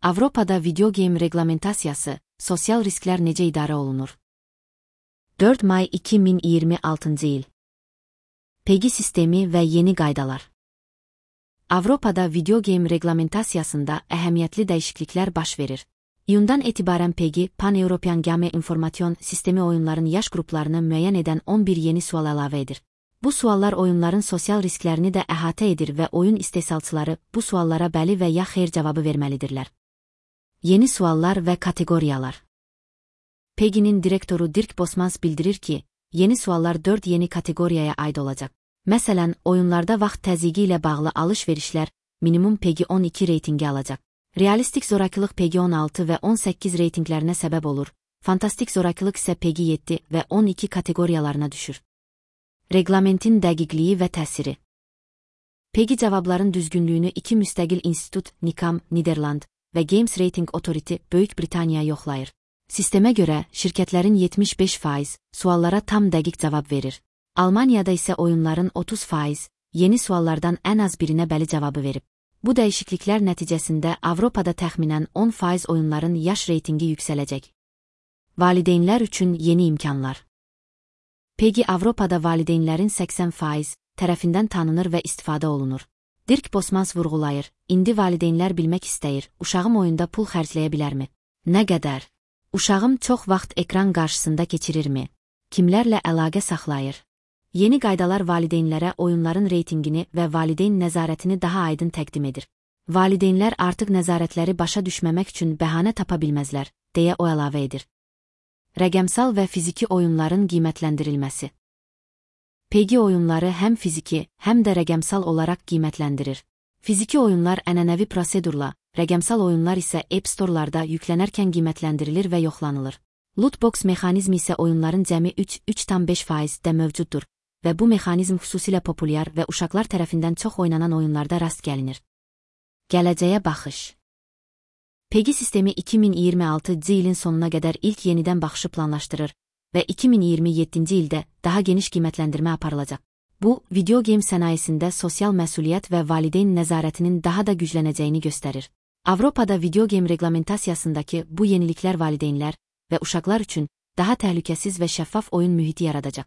Avropada video game reqlamentasiyası, sosial risklər necə idarə olunur? 4 may 2026 il. PEGI sistemi və yeni qaydalar. Avropada video game reqlamentasiyasında əhəmiyyətli dəyişikliklər baş verir. İyundan etibarən PEGI, Pan-European Game Information Sistemi oyunların yaş qruplarını müəyyən edən 11 yeni sual əlavə edir. Bu suallar oyunların sosial risklərini də əhatə edir və oyun istehsalçıları bu suallara bəli və ya xeyr cavabı verməlidirlər. Yeni suallar və kateqoriyalar. PEGI-nin direktoru Dirk Bosmans bildirir ki, yeni suallar 4 yeni kateqoriyaya aid olacaq. Məsələn, oyunlarda vaxt təzyiqi ilə bağlı alış-verişlər minimum PEGI 12 reytingi alacaq. Realistik zorakılıq PEGI 16 və 18 reytinglərinə səbəb olur, fantastik zorakılıq isə PEGI 7 və 12 kateqoriyalarına düşür. Reqlamentin dəqiqliyi və təsiri. PEGI cavabların düzgünlüyünü 2 müstəqil institut, NICAM, Niderland və Games Rating Authority, Böyük Britaniya yoxlayır. Sistemə görə, şirkətlərin 75% suallara tam dəqiq cavab verir. Almaniyada isə oyunların 30% yeni suallardan ən az birinə bəli cavabı verib. Bu dəyişikliklər nəticəsində Avropada təxminən 10% oyunların yaş reytingi yüksələcək. Valideynlər üçün yeni imkanlar. PEGI Avropada valideynlərin 80% tərəfindən tanınır və istifadə olunur. Dirk Bosmans vurğulayır, indi valideynlər bilmək istəyir, uşağım oyunda pul xərcləyə bilərmi? Nə qədər? Uşağım çox vaxt ekran qarşısında keçirirmi? Kimlərlə əlaqə saxlayır? Yeni qaydalar valideynlərə oyunların reytingini və valideyn nəzarətini daha aydın təqdim edir. Valideynlər artıq nəzarətləri başa düşməmək üçün bəhanə tapa bilməzlər, deyə o əlavə edir. Rəqəmsal və fiziki oyunların qiymətləndirilməsi. PEGI oyunları həm fiziki, həm də rəqəmsal olaraq qiymətləndirir. Fiziki oyunlar ənənəvi prosedurla, rəqəmsal oyunlar isə App Store-larda yüklənərkən qiymətləndirilir və yoxlanılır. Lootbox mexanizmi isə oyunların cəmi 3,5%-də mövcuddur və bu mexanizm xüsusilə populyar və uşaqlar tərəfindən çox oynanan oyunlarda rast gəlinir. Gələcəyə baxış. PEGI sistemi 2026 ilin sonuna qədər ilk yenidən baxışı planlaşdırır və 2027-ci ildə daha geniş qiymətləndirmə aparılacaq. Bu, video game sənayesində sosial məsuliyyət və valideyn nəzarətinin daha da güclənəcəyini göstərir. Avropada video game reqlamentasiyasındakı bu yeniliklər valideynlər və uşaqlar üçün daha təhlükəsiz və şəffaf oyun mühiti yaradacaq.